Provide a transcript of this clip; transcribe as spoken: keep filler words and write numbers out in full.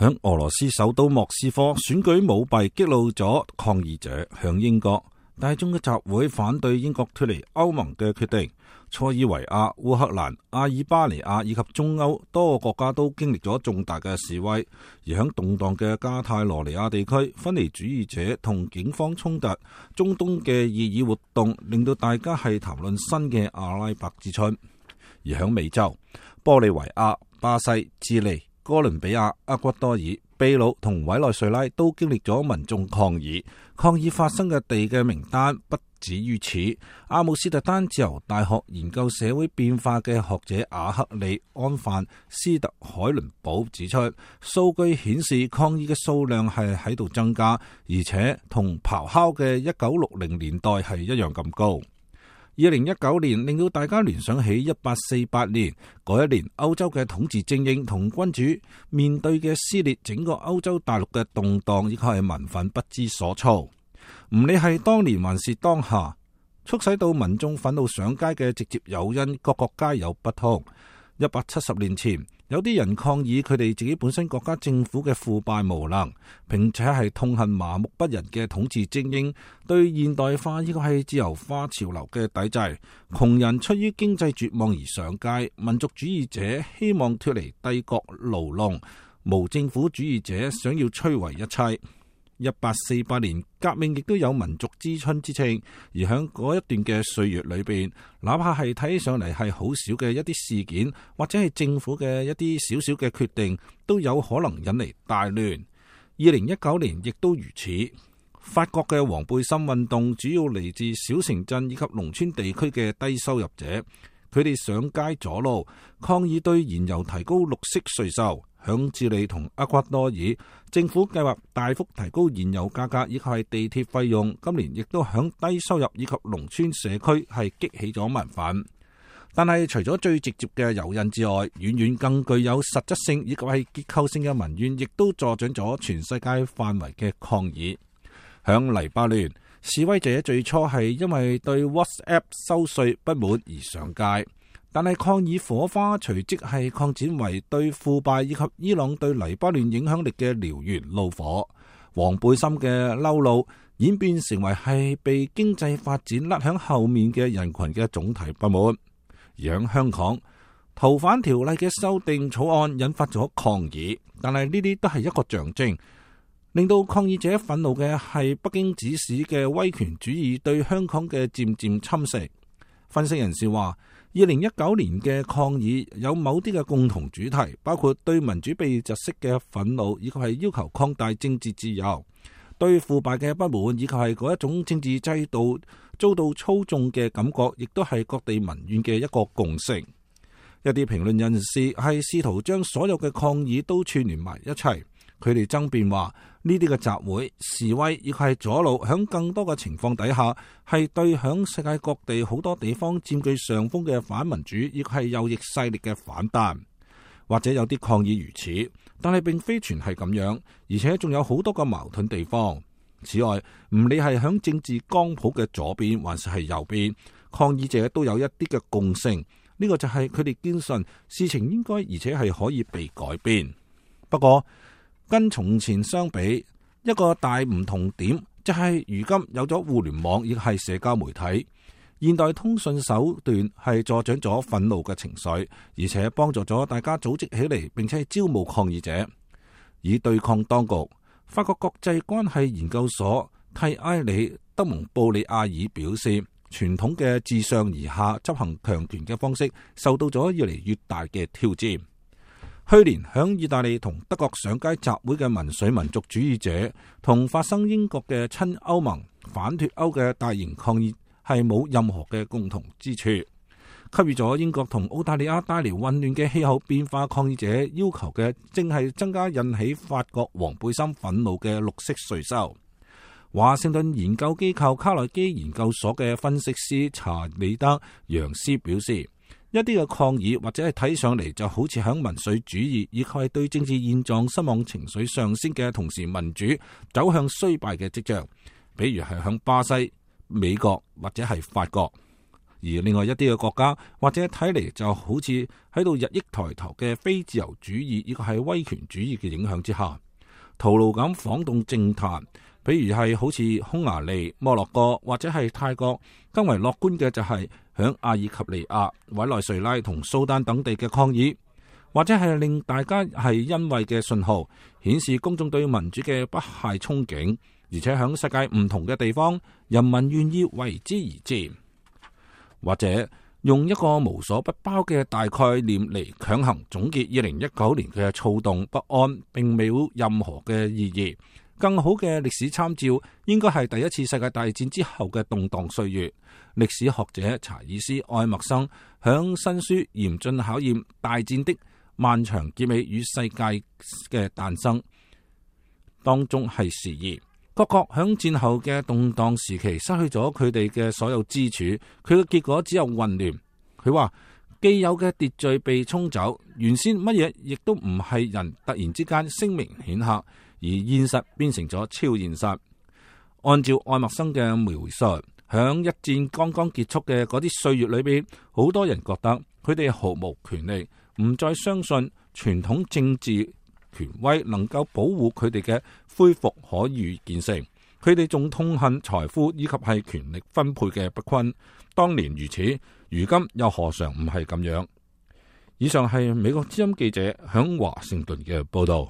響俄羅斯首都莫斯科選舉舞弊激怒咗抗議者，向英國大眾嘅集會反對英國脫離歐盟嘅決定。塞爾維亞、烏克蘭、阿爾巴尼亞以及中歐多個國家都經歷咗重大嘅示威，而響動盪嘅加泰羅尼亞地區，分離主義者同警方衝突，中東嘅異議活動令到大家係談論新嘅阿拉伯之春。而響美洲，玻利維亞、巴西、智利、哥倫比亞、厄瓜多爾、秘魯同委內瑞拉都經歷咗民眾抗議，抗議發生嘅地嘅名單不止於此。阿姆斯特丹自由大學研究社會變化嘅學者阿克利安范斯特海倫堡指出，數據顯示抗議嘅數量係喺度增加，而且同咆哮嘅一九六零年代係一樣咁高。二零一九年令到大家聯想起一八四八年嗰一年，歐洲嘅統治精英同君主面對嘅撕裂整個歐洲大陸嘅動盪，以及係民憤不知所措。唔理係當年還是當下，促使到民眾憤怒上街嘅直接誘因，各國皆有不同。一百七十年前，有啲人抗議佢哋自己本身國家政府嘅腐敗無能，並且係痛恨麻木不仁嘅統治精英對現代化呢個係自由化潮流嘅抵制。窮人出於經濟絕望而上街，民族主義者希望脫離帝國牢籠，無政府主義者想要摧毀一切。一八四八年革命亦都有民族之春之稱，而喺嗰一段嘅歲月裏邊，哪怕係睇起上嚟係好少嘅一啲事件，或者係政府嘅一啲少少嘅決定，都有可能引嚟大亂。二零一九年亦都如此。法國嘅黃背心運動主要嚟自小城鎮以及農村地區嘅低收入者，佢哋上街阻路抗議對燃油提高綠色稅收。響智利同厄瓜多爾，政府計劃大幅提高燃油價格，以及係地鐵費用。今年亦都響低收入以及農村社區係激起咗民憤。但係除咗最直接嘅誘因之外，遠遠更具有實質性以及係結構性嘅民怨，亦都助長咗全世界範圍嘅抗議。響黎巴嫩，示威者最初係因為對 WhatsApp 收稅不滿而上街。但係抗議火花隨即係擴展為對腐敗以及伊朗對黎巴嫩影響力嘅燎原怒火。黃背心嘅嬲怒演變成為係被經濟發展甩響後面嘅人群嘅總體不滿。而喺香港，逃犯條例嘅修訂草案引發咗抗議，但係呢啲都係一個象徵，令到抗議者憤怒嘅係北京指使嘅威權主義對香港嘅漸漸侵蝕。分析人士話，二零一九年嘅抗議有某啲嘅共同主題，包括對民主被窒息嘅憤怒，以及係要求擴大政治自由；對腐敗嘅不滿，以及係嗰一種政治制度遭到操縱嘅感覺，亦都係各地民怨嘅一個共識。一啲評論人士係試圖將所有嘅抗議都串聯埋一齊。佢哋爭辯話，呢啲嘅集會示威，亦係阻路，響更多嘅情況底下，係對響世界各地好多地方佔據上風嘅反民主，亦係右翼勢力嘅反彈。或者有啲抗議如此，但係並非全係咁樣，而且仲有好多個矛盾地方。此外，唔理係響政治光譜嘅左邊，還是係右邊，抗議者都有一啲嘅共性。呢、這個就係佢哋堅信事情應該而且係可以被改變。不過，跟從前相比，一個大唔同點就係如今有咗互聯網，亦係社交媒體，現代通訊手段係助長咗憤怒嘅情緒，而且幫助咗大家組織起嚟，並且係招募抗議者以對抗當局。法國國際關係研究所蒂埃里德蒙布里亞爾表示，傳統嘅自上而下執行強權嘅方式受到咗越嚟越大嘅挑戰。去年響意大利同德國上街集會嘅民粹民族主義者，同發生英國嘅親歐盟反脫歐嘅大型抗議係冇任何嘅共同之處，給予咗英國同澳大利亞帶嚟混亂嘅氣候變化。抗議者要求嘅正係增加引起法國黃背心憤怒嘅綠色稅收。華盛頓研究機構卡內基研究所嘅分析師查理德楊斯表示，一啲嘅抗議或者係睇上嚟就好似響民粹主義，以及係對政治現狀失望情緒上升嘅同時，民主走向衰敗嘅跡象，比如係響巴西、美國或者係法國。而另外一啲嘅國家或者睇嚟就好似喺度日益抬頭嘅非自由主義，呢個係威權主義嘅影響之下，徒勞咁晃動政壇。比如係好似匈牙利、摩洛哥或者係泰國，更為樂觀嘅就係響阿爾及利亞、委內瑞拉同蘇丹等地嘅抗議，或者係令大家係欣慰嘅信號，顯示公眾對民主嘅不懈憧憬，而且響世界唔同嘅地方，人民願意為之而戰。或者用一個無所不包嘅大概念嚟強行總結二零一九年嘅躁動不安，並沒有任何嘅意義。更好嘅歷史參照應該係第一次世界大戰之後嘅動盪歲月。歷史學者查爾斯·愛默生響新書《嚴峻考驗：大戰的漫長結尾與世界嘅誕生》當中係示意各國響戰後嘅動盪時期失去咗佢哋嘅所有支柱，佢嘅結果只有混亂。佢話既有嘅秩序被沖走，原先乜嘢亦都唔係人突然之間聲名顯赫，而現實變成咗超現實。按照愛默生嘅描述，響一戰剛剛結束嘅嗰啲歲月裏邊，好多人覺得佢哋毫無權利，唔再相信傳統政治權威能夠保護佢哋嘅恢復可預見性。佢哋仲痛恨財富以及係權力分配嘅不均。當年如此，如今又何嘗唔係咁樣？以上係美國之音記者響華盛頓嘅報道。